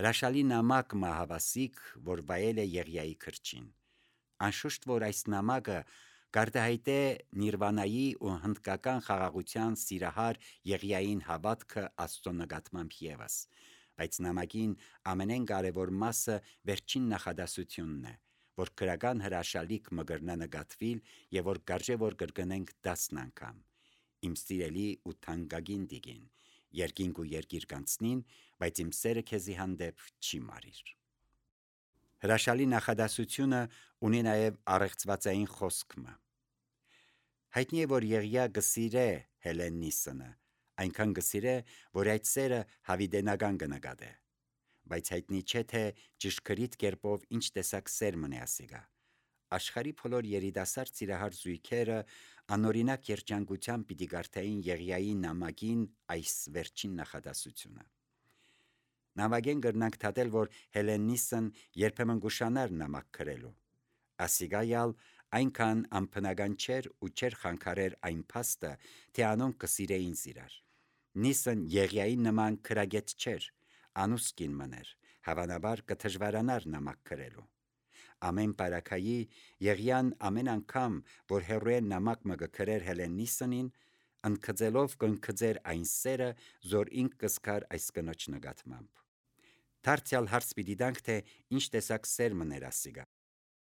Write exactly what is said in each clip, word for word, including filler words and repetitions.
Հրաշալի նամակ մահավասիկ, որ վայել է Եղիայի քրչին։ Անշուշտ, որ այս նամակը գարտահայտ է Նիրվանայի ու հնդկական խաղաղության սիրահար Եղիային հավատքը Աստծո նկատմամբ ևս, բայց նամակին ամենեն կարևոր մասը վերջին նախադասությունն է, որ քրական հրաշալիք մգրնա նկատվիլ եւ որ կարժե որ կրկնենք տասն անգամ։ Իմ սիրելի ու թանկագին դիգին, երկինք ու երկիր կանցնին, բայց իմ սերը քեզի հանդեպ չի մարիր։ Հրաշալի նախադասությունը ունի նաև առեղծվածային խոսքը։ Հայտնի է, որ Եղիա գսիրե Հելեննիսը, այնքան գսիրե, որ այդ սերը հավիդենական կնկատե, բայց հայտնի չէ, թե ճշգրիտ կերպով ինչ տեսակ սեր մնե ասիգա։ Աշխարհի բոլոր երիտասարդ սիրահար զույգերը անօրինակ երջանկությամբ պիտի կարդային Եղիայի նամակին այս վերջին նախադասությունը։ Նամակեն կրնանք թատել, որ Հելեննիսն երբեմն գուշանար նամակ գրելու։ Ասիգայալ այնքան անբնական չէր ու չէր խանգարեր այն փաստը, թե անոնք կսիրեին իրար։ Նիսն Եղիայի նման քրագետ չէր, անուսկին մներ, հավանաբար կդժվարանար նամակ գրելու։ Ամեն բարակայի Եղիան ամեն անգամ, որ հերոեն նամակ մը գրեր Հելեննիսին, ընկծելով կընկծեր այն սերը, զոր ինք կսկար այս կնոջ նկատմամբ։ Դարձյալ հարց պիտի տանք, թե ինչ տեսակ սեր մներ ասիգա։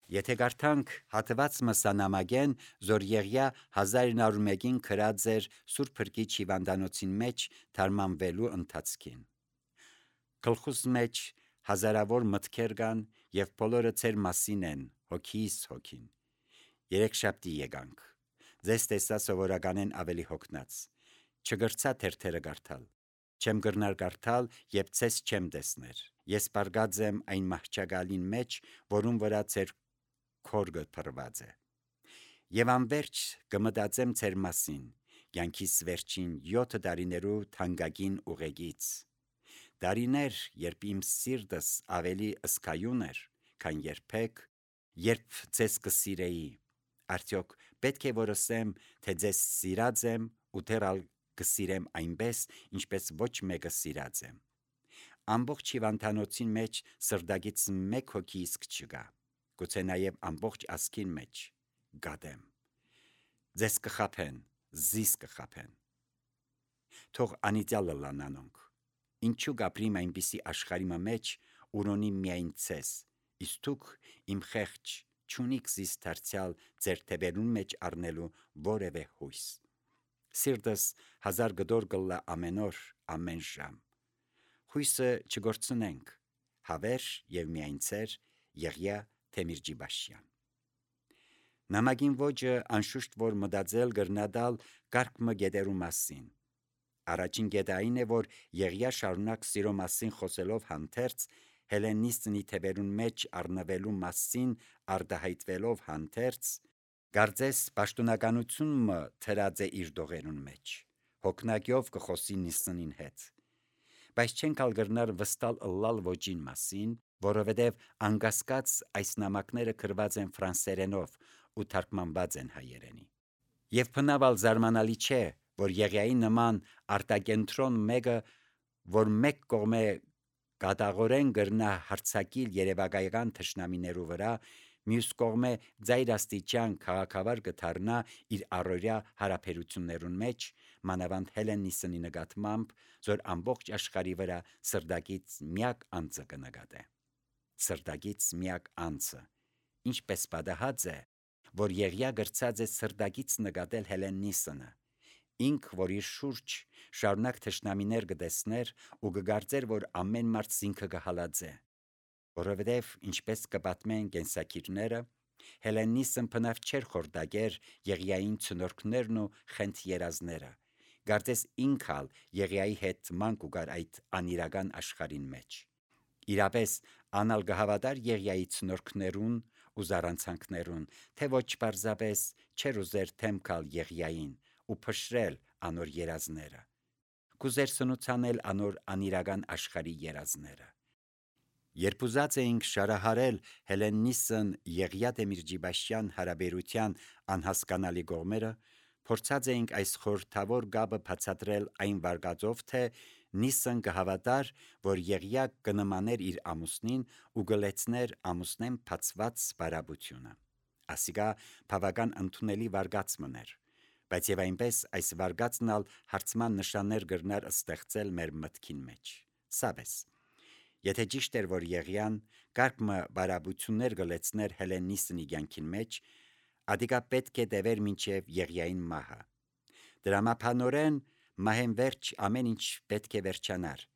Եթե կարդանք հատված մսա նամակեն, զոր Եղիա հազար իննսուն մեկին գրած էր Սուրբ Փրկի հիվանդանոցին մեջ թարմանվելու ընթացքին։ Գլխուս մեջ հազարավոր մտքեր կան եւ բոլորը ծեր մասին են, հոգիս հոգին։ Երեքշաբթի եկանք։ Ձեզ տեսա սովորականեն ավելի հոգնած։ Չգրցա թերթերը կարդալ։ Չեմ գրնար կարդալ եւ ցես չեմ տեսներ։ Ես բարգած եմ այն մահճակալին մեջ, որում վրա ծեր քորգը փռված է։ Եվ անverջ կմտածեմ ծեր մասին, կյանքիս վերջին յոթ տարիներու թանկագին ուղեկից։ Տարիներ, երբ իմ սիրտս ավելի ըսկայուն էր, քան երբեք, երբ ձեզ կսիրեի, արդյոք պետք է որ ասեմ, թե ձեզ սիրած եմ ու դեռալ կսիրեմ այնպես, ինչպես ոչ մեկը սիրած եմ։ Ամբողջ հիվանդանոցին մեջ սրտագից մեկ հոգի իսկ չկա, գուցե նաև ամբողջ ազգին մեջ գադեմ։ Ձեզ կխաբեն, զիս կխաբեն։ Թող անիծյալը լանանոնք։ Ինչու գապրիմ այնպիսի աշխարհի մեջ, ուրոնի միայն ցես, իսկ դուք իմ խեղճ չունիք զիս դարձյալ ձեր թևերուն մեջ առնելու որևէ հույս։ Սիրտս հազար գդոր գլլա ամեն օր, ամեն ժամ։ Հույսը չգործնենք, հավեր եւ միայն ծեր Եղիա Թեմիրջիբաշյան։ Նամակին ոճը անշուշտ որ մտածել գրնադալ կարգ մը գետերու մասին։ Առաջին գետը այն է, որ Եղիա շարունակ սիրո մասին խոսելով հանդերձ Հելեննիսնի թևերուն մեջ առնվելու մասին արդահայտվելով հանդերձ, կարծես պաշտոնականությունը թրած է իր դողերուն մեջ, հոգնակյով կխոսի Նիսնին հետ։ Բայց չենք ալ գրնար վստալ ըլլալ ոճին մասին, որովհետև անկասկած այս նամակները գրված են ֆրանսերենով ու թարգմանված են հայերենի։ Եվ բնավալ զարմանալի չէ, որ Եղիայի նման արտակենտրոն մեկը, որ մեկ կողմե կատաղորեն գրնա հարցակիլ երևակայական թշնամիներու վրա, մյուս կողմե ձայրաստիճան քաղաքավար կդառնա իր առօրյա հարաբերություններուն մեջ, մանավանդ Հելեննիսնի նկատմամբ, որ ամբողջ աշխարհի վրա սրտակից միակ անձը կնկատե։ Սրտակից միակ անձը, ինչպես պատահած է, որ Եղիա գրծած է սրտակից նկատել Հելեննիսնը, ինք, որ իր շուրջ շարունակ թշնամիներ կտեսներ ու կգարձեր, որ ամեն մարդ զինքը կհալածե, որովհետև ինչպես կպատմեն կենսակիրները, Հելեննիսն բնավ չէր խորտակեր Եղիային ցնորքներն ու խենթ երազները, կարծես ինքալ Եղիայի հետ ման կուգար այդ անիրական աշխարհին մեջ։ Իրապես անալ կհավատար Եղիայի ցնորքներուն ու զառանցանքներուն, թե ոչ պարզապես չեր ուզեր թեմքալ Եղիային ու փշրել անոր երազները, կուզեր սնուցանել անոր անիրական աշխարհի երազները։ Երբ ուզած էինք շարահարել Հելեննիսն Եղիա Թեմիրջիբաշյան հարաբերության անհասկանալի կողմերը, փորձած էինք այս խորհրդավոր գաբը բացատրել այն վարկածով, թե Նիսն կհավատար, որ Եղիա կնմաներ իր ամուսնին ու գլեցներ ամուսնեն փածված բարաբությունը։ Ասիկա բավական ընդունելի վարգած մներ, բայց եւ այնպես այս վարգածն ալ հարցման նշաններ գրնար ստեղծել մեր մտքին մեջ։ Սավես, եթե ճիշտ էր, որ Եղիան կարգմը բարաբություններ գլեցներ Հելենիսն իգյանքին մեջ, ադիկա պետք է դևեր մինչև Եղիային մահը։ Դրամապանորեն մահեն վերջ ամեն ինչ պետք է վերջանար։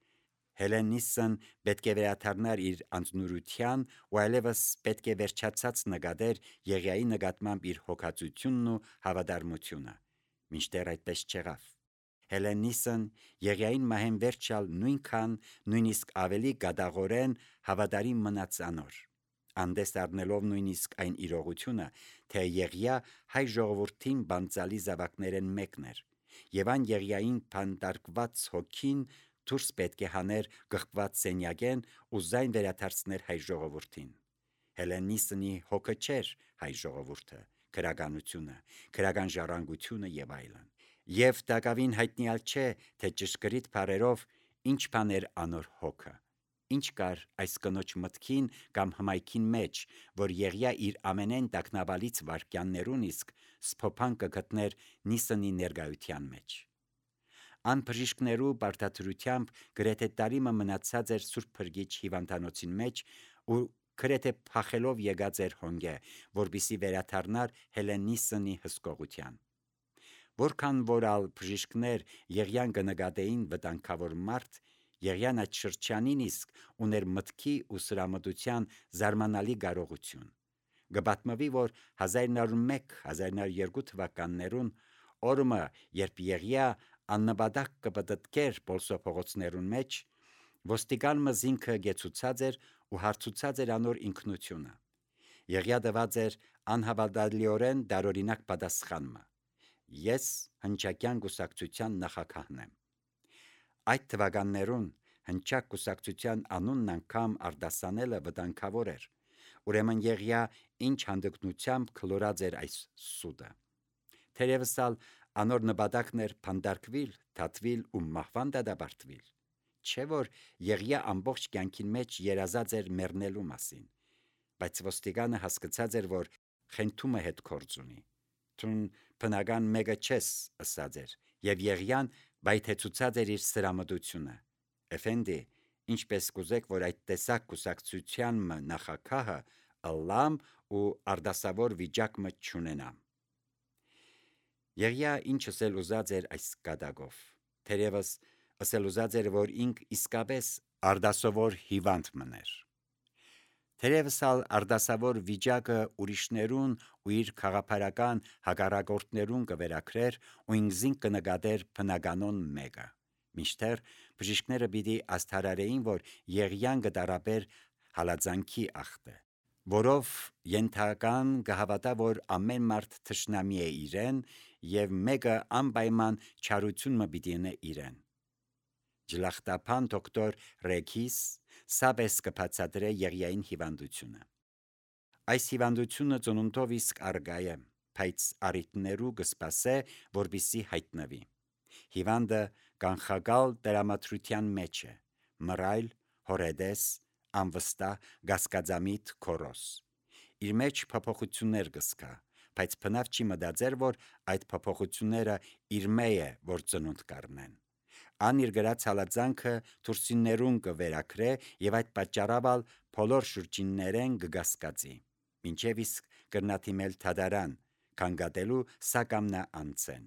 Հելենիսն պետք է վերադառնար իր անձնուրության ու այլևս պետք է վերջացած նկատեր Եղիայի նկատմամբ իր հոգածությունն ու հավատարմությունը։ Մինչդեռ այդպես չեղավ։ Հելենիսն Եղիային մահեն վերջալ նույնքան, նույնիսկ ավելի գադաղորեն հավատարիմ մնաց անոր, անդես առնելով նույնիսկ այն իրողությունը, թե Եղիա հայ ժողովրդին բանցալի զավակներեն մեկն էր, եւ այն Եղիային փանդարկված հոգին դուրս պետք է հաներ գղված սենյակեն ու զայն վերադարձներ հայ ժողովրդին։ Հելենիսնի հոգը չէր հայ ժողովուրդը, քրագանությունը, քրագան ժառանգությունը եւ այլն։ Եվ տակավին հայտնիալ չէ, թե ճշգրիտ բառերով ինչ բան էր անոր հոգը, ինչ կար այս կնոջ մտքին կամ հմայքին մեջ, որ Եղիա իր ամենեն տագնապալից վայրկյաններուն իսկ սփոփան կգտներ Նիսնի ներկայության մեջ։ Ան բժիշկներու բարդացրությամբ գրեթե տարիմը մնացած էր Սուրբ Փրկիչ հիվանդանոցին մեջ ու գրեթե փախելով եկած էր հոնգե, որպիսի վերադառնար Հելենիսնի հսկողության։ Որքան որ ալ բժիշկներ Եղիան կնկատեին վտանգավոր մարդ, Եղիան այդ շրջանին իսկ ուներ մտքի ու սրամտության զարմանալի կարողություն։ Գպատմվի, որ հազար նոր մեկ հազար նոր երկու թվականներուն օրը, երբ Եղիա աննպատակ կպտտկեր Պոլսո փողոցներուն մեջ, ոստիկան մզինքը գեցուցած էր ու հարցուցած էր անոր ինքնությունը։ Եղիա տված էր անհավատալիորեն դարօրինակ պատասխանը. Ես հնչակյան կուսակցության նախագահն եմ։ Այդ թվականներուն հնչակ կուսակցության անունն անգամ արտասանելը վտանգավոր էր, ուրեմն Եղիա ինչ հանդգնությամբ քլորած էր այս սուտը։ Թերևս ալ անոր նպատակն էր փանդարկվել, դատվել ու մահվան դատապարտվել, չէ որ Եղիա ամբողջ կյանքին մեջ երազած էր մեռնելու մասին, բայց ոստիկանը հասկացած էր, որ խենթումը հետ կորձ ունի։ Տուն բնական մեկը չես ըսած էր, եւ Եղիան բայթեցուցած էր իր սրամտությունը։ Էֆենդի, ինչպես կուզեք, որ այդ տեսակ կուսակցության նախագահը ըլլամ ու արդասավոր վիճակը չունենամ։ Եղիա ինչ ասել ուզած էր այս կատակով, թերևս ասել ուզած էր, որ ինք իսկապես արդասավոր հիվանդ մներ։ Թերևս ալ արդասավոր վիճակը ուրիշներուն ու իր քաղաքական հակառակորդներուն կվերակրեր ու ինքզին կնկատեր բնականոն մեկը։ Մինչդեռ բժիշկները պիտի աստարարեին, որ Եղիան կդարաբեր հալածանքի ախտը, որով ենթական կհավատա, որ ամեն մարդ թշնամի է իրեն եւ մեկը անպայման չարությունը պիտի ունե իրեն։ Ջլախտապան դոկտոր Ռեքիս սաբես կբացատրե Եղիային հիվանդությունը։ Այս հիվանդությունը ծնունդով իսկ արգա է, բայց առիթներու կսպասե, որպիսի հայտնվի։ Հիվանդը կանխակալ տրամադրության մեջ է, մռայլ, հորեդես, անվստահ, գասկածամիտ, քորոս։ Իր մեջ փոփոխություններ կսկա, բայց բնավ չի մտածեր, որ այդ փոփոխությունները իր մեջ է, որ ծնունդ կառնեն։ Ան իր գրած հալածանքը թուրսիններուն կվերակրե եւ այդ պատճառով ալ բոլոր շրջիններեն կգասկածի, մինչեւ իսկ կրնաթիմել թադարան, քանգատելու սակամնա անցեն։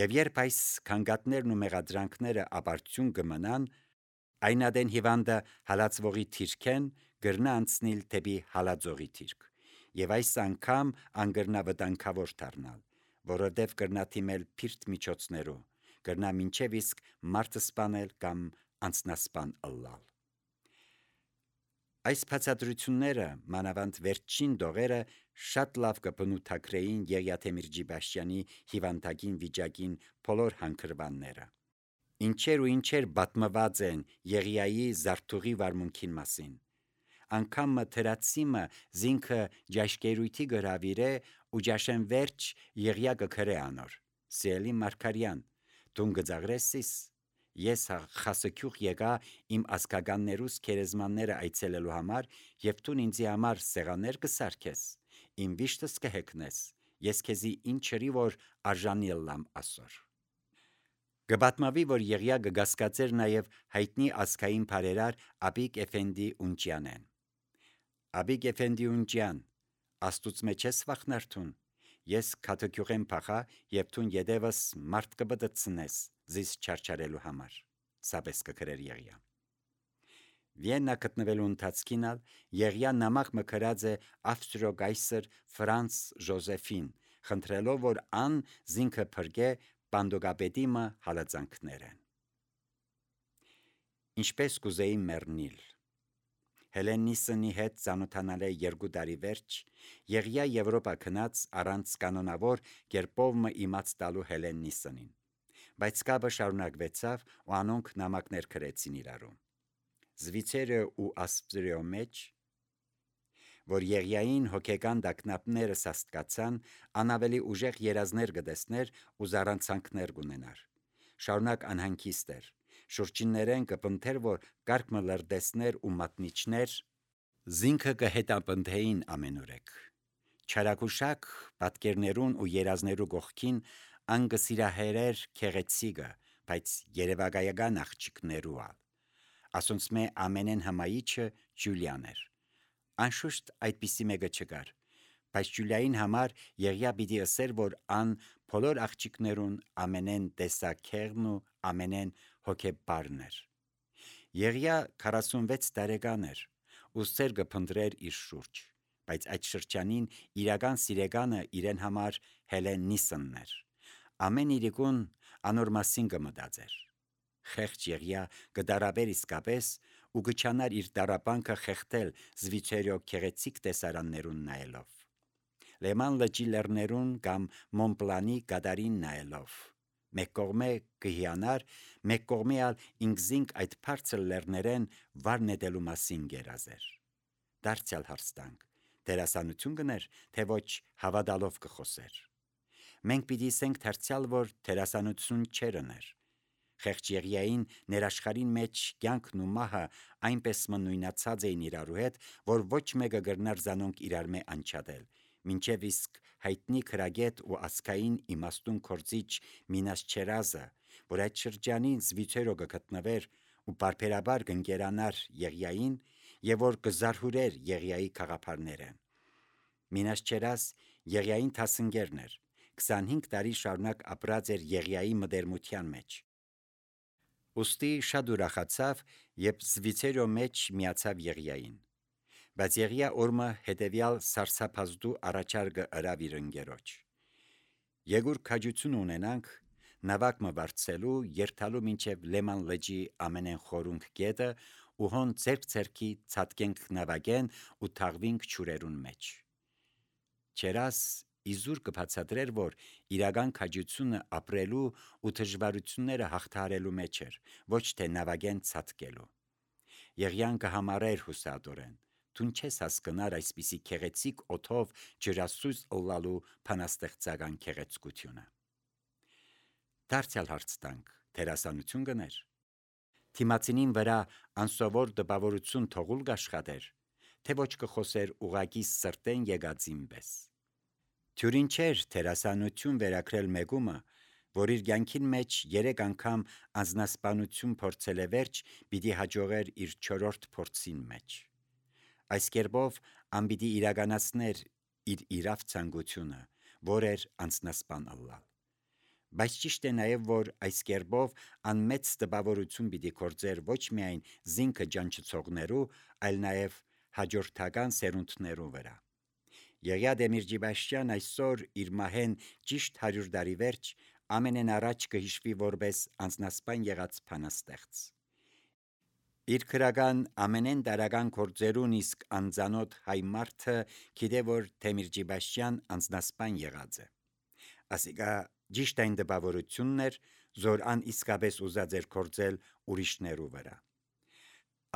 Եվ երբ այս քանգատներն ու մեղադրանքները ապարդյուն կմնան, այնադեն հիվանդը հալածվողի թիրքեն գրնա անցնել դեպի հալածողի թիրք, եւ այս անգամ անգրնա վտանգավոր դառնալ, որովհետեւ կրնա թիմել փիրտ միջոցներու, կրնա մինչև իսկ մարդը սպանել կամ անձնասպան ըլլալ։ Այս բացատրությունները, մանավանդ վերջին դողերը, շատ լավ կբնութագրեին Եղիաթեմիր Ջիբաշյանի հիվանդագին վիճակին բոլոր հանգրվանները։ Ինչեր ու ինչեր պատմված են Եղիայի զարթուղի վարմունքին մասին։ Անկամ թրացիմը զինքը ջաշկերույթի գրավիրե ու ջաշեն վերջ Եղիա կգրե անոր։ Սիրելի Մարգարյան, դուն գծաղրեսիս, Ես խասքյուղ եկա իմ ասկագաններուս քերեզմանները այցելելու համար եւ տուն ինձի համար սեղաններ կսարքես, իմ վիշտս կհեքնես, ես քեզի ինչրի որ արժանի լամ ասոր։ Գբատմավի, որ Եղիա գգասկածեր նաև հայտնի ասկային բարերար Աբիկ Էֆենդի Ունջյանեն։ Աբիկ Էֆենդի Ունջյան, աստուծո մեջ ես վախնարթուն, ես քաթոքյուղեն փախա եւ տուն յետևս մարդ կբդցնես զիս չարչարելու համար, սաբես կգրեր Եղիա։ Վիեննա գտնվելու ընթացքին ալ Եղիա նամակ մկրած է Ավստրիո գայսր Ֆրանց Ժոզեֆին, խնդրելով որ ան զինքը փրկե Պանդոգապետիմը հալածանքներեն։ Ինչպես կուզեի մեռնիլ։ Հելենիսնի հետ ծանոթանալ է երկու տարի վերջ, Եղիա Եվրոպա քնած առանց կանոնավոր կերպովը իմաց տալու Հելենիսնին, բայց կապը շարունակվեցավ ու անոնք նամակներ գրեցին իրարու։ Զվիցերը ու Ասպրիո մեջ, որ Եղիային հոգեկան դակնապները սաստկացան, անավելի ուժեղ երազներ գտեսներ ու զառանցանքներ գունենար։ Շարունակ անհանգիստ էր, շուրջիններեն կպնթեր, որ կարգը լրտեսներ ու մատնիչներ, զինքը կհետապնդեին ամենուրեք։ Չարակուշակ պատկերներուն ու երազներու գողքին անգսիրահերեր քեղեցիկը, բայց երևակայական աղջիկներու ալ։ Ասոնց մե ամենեն հմայիչը Ջուլիան էր։ Անշուշտ այդպիսի մեկը չկար, բայց Ջուլիային համար Եղիա պիտի ասեր, որ ան բոլոր աղջիկներուն ամենեն տեսակերն ու ամենեն հոգեբարն էր։ Եղիա քառասունվեց տարեկան էր, ու սեր կփնտրեր իր շուրջ, բայց այդ շրջանին իրական սիրեկանը իրեն համար Հելենիսնն էր։ Ամեն իրիկուն անոր մասին կմտածեր։ Խեղճ Եղիա կդարաբեր իսկապես ու կչանար իր դարապանքը խեղտել Զվիցերիո քեղեցիկ տեսարաններուն նայելով, Լեման լճի լեռներուն կամ Մոնպլանի գադարին նայելով, մեկ կողմե կհիանար, մեկ կողմի ալ ինքզինք այդ բարձր լեռներեն վար նետելու մասին գերազեր։ Դարձյալ հարցտանք, դերասանություն կներ, թե ոչ հավատալով կխոսեր։ Մենք պիտի ասենք դարձյալ, որ դերասանություն չերներ։ Խեղճ Եղիային ներաշխարին մեջ կյանքն ու մահը այնպես նույնացած էին իրարու հետ, որ ոչ մեկը գրնար զանոնք իրար մե անչադել, մինչև իսկ հայտնի քրագետ ու ասկային իմաստուն կորձիչ Մինաս Չերազը, որ այդ շրջանին Զվիցերո կգտնվեր ու բարբերաբար կընկերանար Եղիային եւ որ կզարհուրեր Եղիայի քաղաքարները։ Մինաս Չերազ Եղիային թասնգերն էր, քսանհինգ տարի շարունակ ապրած էր Եղիայի մտերմության մեջ։ Ոստի շատ ուրախացավ, երբ Զվիցերո մեջ միացավ Եղիային, բայց Եղիա օրմը հետևյալ սարսափազդու առաջարկը ըրավ իր ընկերոջ։ Եգուր քաջություն ունենանք, նավակ մը վարձելու, երթալու մինչև Լեման լճի ամենեն խորունկ գետը ու հոն ձերք-ձերքի ցածկենք նավակեն ու թաղվինք ջուրերուն մեջ։ Չերաս իզուր կբացատրեր, որ իրական քաջությունը ապրելու ու դժվարությունները հաղթահարելու մեջ էր, ոչ թե նավակեն ցածկելու։ Եղիան կհամարեր հուսադորեն, դուն չես հասկնար այսպիսի քեղեցիկ օթով ջրասույզ ըլլալու փանաստեղծական քեղեցկությունը։ Դարձյալ հարց տանք, դերասանություն կներ։ Թիմացինին վրա անսովոր դպավորություն թողուլ կաշխատեր, թե ոչ կխոսեր ուղակի սրտեն եկածին պես։ Թյուրին չէր դերասանություն վերակրել մեկումը, որ իր կյանքին մեջ երեք անգամ անձնասպանություն փորձել է վերջ, պիտի հաջողեր իր չորրորդ փորձին մեջ։ Այս կերպով անպիտի իրականացներ իր իրավ ցանկությունը, որ էր անձնասպան ըլլալ։ Բայց ճիշտ է նաև, որ այս կերպով անմեծ տպավորություն պիտի գործեր ոչ միայն զինքը ջանչեցողներու, այլ նաև հաջորդական սերունդներու վրա։ Եղիա Դեմիրճիբաշյան այսօր իր մահեն ճիշտ հարյուր տարի վերջ ամենեն առաջ կհիշվի որպես անձնասպան եղած փանաստեղծ։ Իր քրական ամենեն դարական գործերուն իսկ անձանոտ հայ մարդը գիտե, որ Դեմիրճիբաշյան անձնասպան եղած է։ Ասիկա ճիշտ այն տպավորությունն էր, որ ան իսկապես ուզած էր գործել ուրիշներու վրա։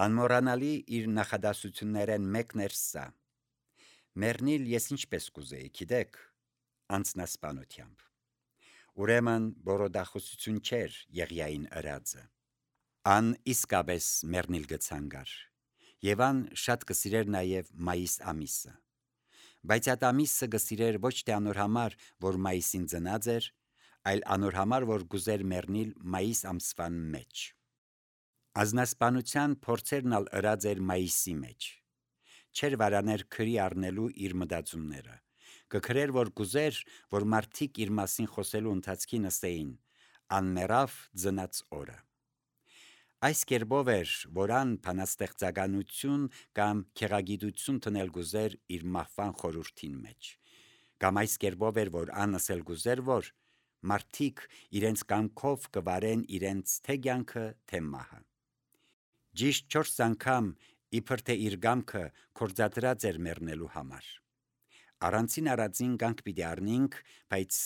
Անմոռանալի իր նախադասություններեն մեկն էր սա. «Մեռնիլ ես ինչպես կուզեի, գիտեք, անձնասպանությամբ»։ Ուրեմն բորոդախոսություն չէր Եղիային ըրածը։ Ան իսկապես մեռնիլ գցանգար, եւ ան շատ կսիրեր նաեւ մայիս ամիսը, բայց այդ ամիսը կսիրեր ոչ թե անոր համար, որ մայիսին ծնած էր, այլ անոր համար, որ գուզեր մեռնիլ մայիս ամսվան մեջ։ Ազնասպանության փորձերն ալ ըրած էր մայիսի մեջ, չէր վարաներ քրի առնելու իր մտածումները, կքրեր, որ գուզեր, որ մարդիկ իր մասին խոսելու ընթացքին ըստեին, անմեռավ ծնած օրը։ Այս կերպով էր, որ ան բանաստեղծականություն կամ քեղագիտություն տնել գուզեր իր մահվան խորհրդին մեջ, կամ այս կերպով էր, որ ան ասել գուզեր, որ մարդիկ իրենց կամքով կվարեն իրենց թե կյանքը, թե մահը։ Ճիշտ չորս անգամ իբր թե իր կամքը կործադրած էր մեռնելու համար։ Առանցին առածին կանգ պիտի առնենք, բայց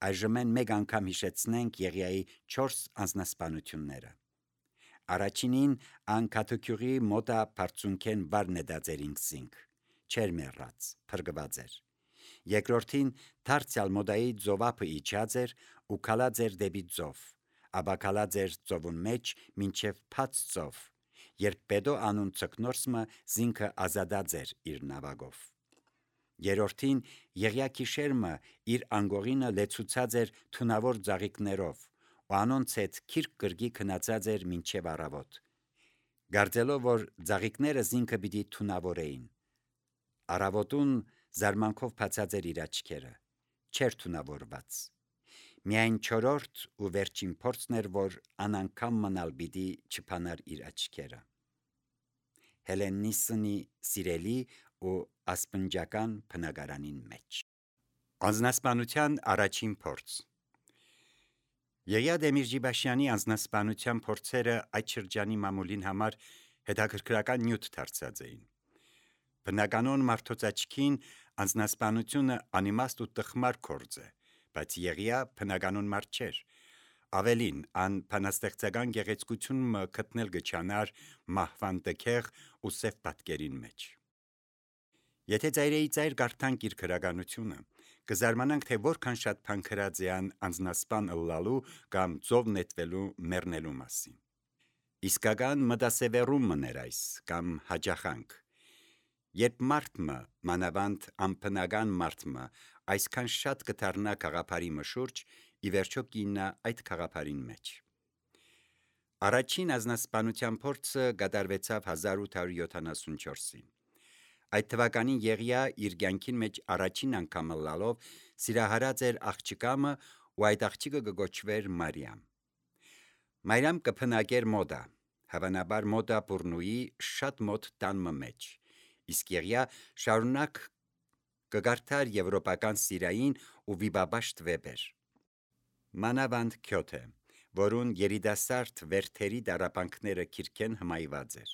այժմ մեկ անգամ հիշեցնենք Եղիայի չորս անձնասպանությունները։ Առաջինին ան քաթոքյուղի մոտա բարձունքեն վար նետած էր ինքզինք, չեր մեռած, փրկված էր։ Երկրորդին դարձյալ մոդայի ծովափը իջած էր ու քալած էր դեպի ծով, ապա քալած էր ծովուն մեջ մինչև բաց ծով, երբ Պետո անուն ցկնորսմը զինքը ազատած էր իր նավակով։ Երորդին Եղիա քիշերմը իր անգողինը լեցուցած էր թունավոր ծաղիկներով, ու անոնց հետ քիրք կրկի քնացած էր մինչև առավոտ, գարձելով, որ ծաղիկները զինքը պիտի թունավորեին։ Առավոտուն զարմանքով բացած էր իր աչքերը, չէր թունավորված։ Միայն չորրորդ ու վերջին փորձն էր, որ անանգամ մնալ պիտի չփանար իր աչքերը։ Հելենիսնի սիրելի ու ասպնջական բնակարանին մեջ։ Անձնասպանության առաջին փորձ։ Եղիա Դեմիրճիբաշյանի անձնասպանության փորձերը այդ շրջանի մամուլին համար հետաքրքրական նյութ դարձած էին։ Բնականon մարդոց աչքին անձնասպանությունը անիմաստ ու տխմար գործ է, բայց Եղիա բնականon մարդ չէր։ Ավելին, ան բանաստեղծական գեղեցկությունը գտնել գչանար մահվան տքեղ ու սև պատկերին մեջ։ Եթե ծայրեի ծայր կարդանք իր քրականությունը, կզարմանանք, թե որքան շատ բան գրած է ան անձնասպան ըլլալու կամ ծով նետվելու մեռնելու մասին։ Իսկական մտասևեռում մներ այս, կամ հաճախանք։ Երբ մարդը, մանավանդ անբնական մարդը, այսքան շատ կդառնա գաղափարի մշուրջ, ի վերջո կիննա այդ գաղափարին մեջ։ Առաջին անձնասպանության փորձը կատարվեցավ հազար ութ հարյուր յոթանասունչորսին։ Այդ թվականին Եղիա իր կյանքին մեջ առաջին անգամ ըլլալով սիրահարած էր աղջկամը ու այդ աղջիկը կգոչվեր Մարիամ։ Մարիամ կփնակեր մոդա, հավանաբար մոդա բուրնուի շատ մոտ տանմը մեջ, իսկ Եղիա շարունակ կգարթար եվրոպական սիրային ու վիբաբաշտ վեպեր։ Մանավանդ Քյոթե, որուն երիտասարդ վերթերի դարապանքները քիրքեն հմայված էր։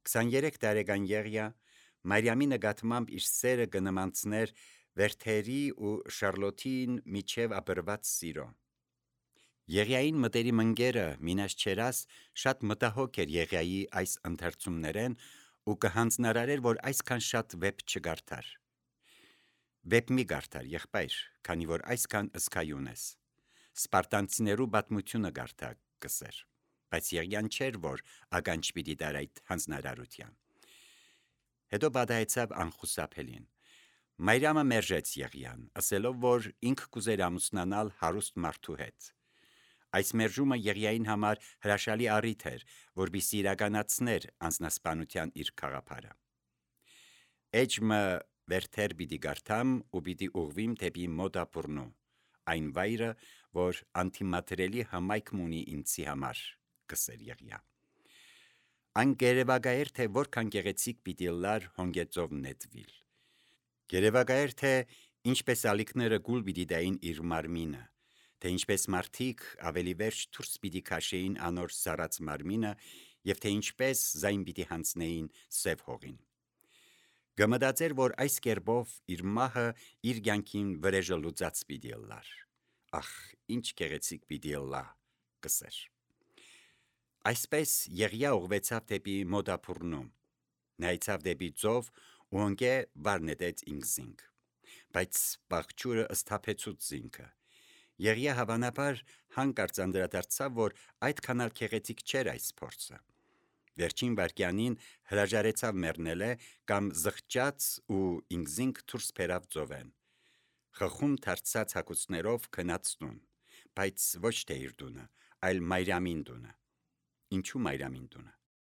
քսաներեք տարեկան Եղիա Մարիամի նկատմամբ իր սերը կնմանցներ վերթերի ու Շարլոթին միջև ապրված սիրո։ Եղիային մտերիմ ընկերը Մինաս Չերաս շատ մտահոգ էր Եղիայի այս ընթերցումներեն ու կհանձնարարեր, որ այսքան շատ վեպ չգարթար։ Վեպ մի գարթար, եղբայր, քանի որ այսքան ըսկայուն ես։ Սպարտանցիներու պատմությունը գարթա կսեր, բայց Եղիան չէր, որ ականջ պիտի դար այդ հանձնարարության։ Հետո պատահեցավ անխուսափելին։ Մարիամը մերժեց Եղիան, ասելով, որ ինքը կուզեր ամուսնանալ հարուստ մարդու հետ։ Այս մերժումը Եղիային համար հրաշալի առիթ էր, որպեսզի իրականացներ անձնասպանության իր գաղափարը։ Էջմը վերթեր պիտի գարթամ ու պիտի ուղղվիմ դեպի մոդա բուրնու, այն վայրը, որ անթիմատրելի հմայք ունի ինձի համար, կսեր Եղիա։ Այն գերեվագայր, թե որքան գեղեցիկ պիտի լար հոնգեծով նետվիլ։ Գերեվագայր, թե ինչպես ալիքները գուլ պիտի դային իր մարմինը, թե ինչպես մարդիկ ավելի վերջ դուրս պիտի քաշեին անոր սառած մարմինը եւ թե ինչպես զայն պիտի հանձնեին սև հողին։ Գմդացեր, որ այս կերպով իր մահը իր կյանքին վրեժը լուծած պիտի լար։ Ախ, ինչ գեղեցիկ պիտի լա, կսեր։ Այսպես Եղիա ուղղվեցավ դեպի մոդա բուրնու, նայեցավ դեպի ծով ու ընկե վար նետեց ինքզինք, բայց բաղջուրը ըսթափեցուց զինքը, Եղիա հավանաբար հանկարծ անդրադարձավ, որ այդքան էլ քեղեցիկ չէր այս փորձը։ Վերջին վայրկյանին հրաժարեցավ մեռնելը կամ զղջաց ու ինքզինք դուրս բերավ ծովեն։ Խխում դարձած հագուստներով գնաց տուն, բայց ոչ թե իր տունը, այլ Մարիամին տունը։ Ինչու Մարիամին տունը։